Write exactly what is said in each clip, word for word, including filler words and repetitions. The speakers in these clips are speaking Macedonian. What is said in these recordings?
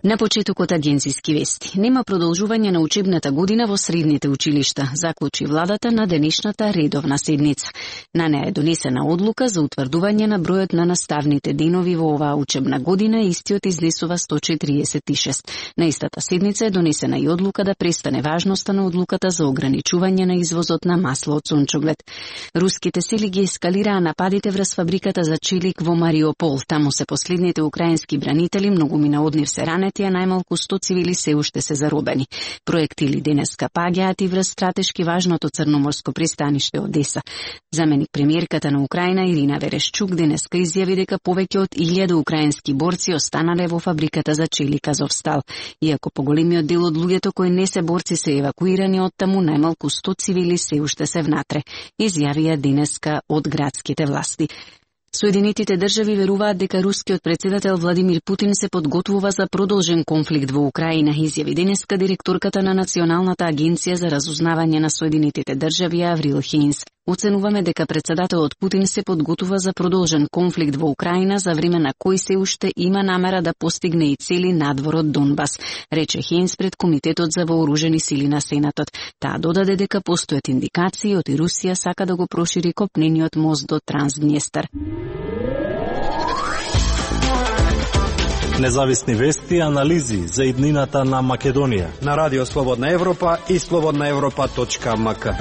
На почетокот агенцијски вести. Нема продолжување на учебната година во средните училишта, заклучи владата на денешната редовна седница. На неа е донесена одлука за утврдување на бројот на наставните денови во оваа учебна година, истиот изнесува сто четириесет и шест. На истата седница е донесена и одлука да престане важноста на одлуката за ограничување на извозот на масло од сончоглед. Руските сили ги ескалираа нападите врз фабриката за челик во Мариупол. Таму се последните украински бранители, многумина од нив се ранети, а најмалку сто цивили се уште се заробени. Проектили денеска паѓаат и врз стратешки важното црноморско пристаниште Одеса. Заменик премиерката на Украина Ирина Верешчук денеска изјави дека повеќе од илјада украински борци останале во фабриката за челик Азовстал. Иако поголемиот дел од луѓето кои не се борци се евакуирани од таму, најмалку сто цивили се уште се внатре, изјавија денеска од градските власти. Соединетите држави веруваат дека рускиот председател Владимир Путин се подготвува за продолжен конфликт во Украина, изјави денеска директорката на Националната агенција за разузнавање на Соединетите држави Аврил Хейнс. Оценуваме дека председателот Путин се подготвува за продолжен конфликт во Украина за време на кој се уште има намера да постигне и цели надвор од Донбас, рече Хейнс пред Комитетот за вооружени сили на Сенатот. Таа додаде дека постојат индикации од и Русија сака да го прошири копнениот мост до Трансднестар. Независни вести и анализи за иднината на Македонија на Радио Слободна Европа и слободна европа точка ем ка.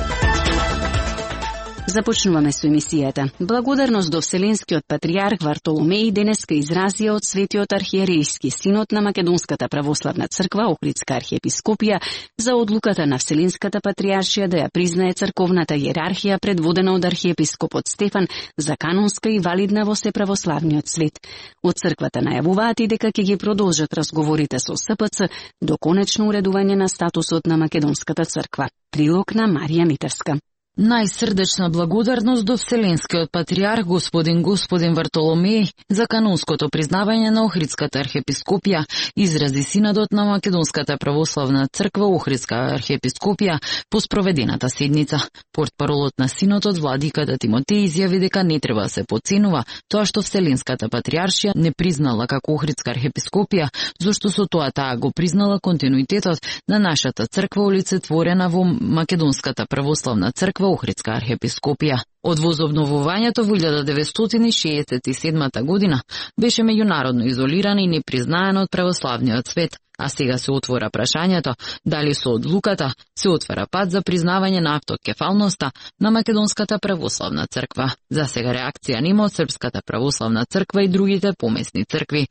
Започнуваме со емисијата. Благодарност до Вселенскиот патријарх Вартоломеј денеска изразија од Светиот архиерејски синод на Македонската православна црква Охридска архиепископија за одлуката на Вселенската патријаршија да ја признае црковната иерархија предводена од архиепископот Стефан за канонска и валидна во сеправославниот свет. Од црквата најавуваат и дека ќе ги продолжат разговорите со С П Ц до конечно уредување на статусот на Македонската црква. Прилог на Марија Митарска. Најсрдечна благодарност до Вселенскиот патријарх господин господин Вартоломеј за канонското признавање на Охридската архиепископија, изрази синодот на Македонската православна црква Охридска архиепископија по спроведената седница. Портпаролот на синодот владиката Тимотеј изјави дека не треба да се подценува тоа што Вселенската патријаршија не признала како Охридска архиепископија, зашто со тоа таа го признала континуитетот на нашата црква олицетворена во Македонската православна црква Охридска архиепископија. Од возобновувањето во илјада деветстотини шеесет и седмата година беше меѓународно изолирана и непризнаена од православниот свет, а сега се отвора прашањето дали со одлуката се отвара пат за признавање на автокефалноста на Македонската православна црква. За сега реакција нема од Српската православна црква и другите помесни цркви.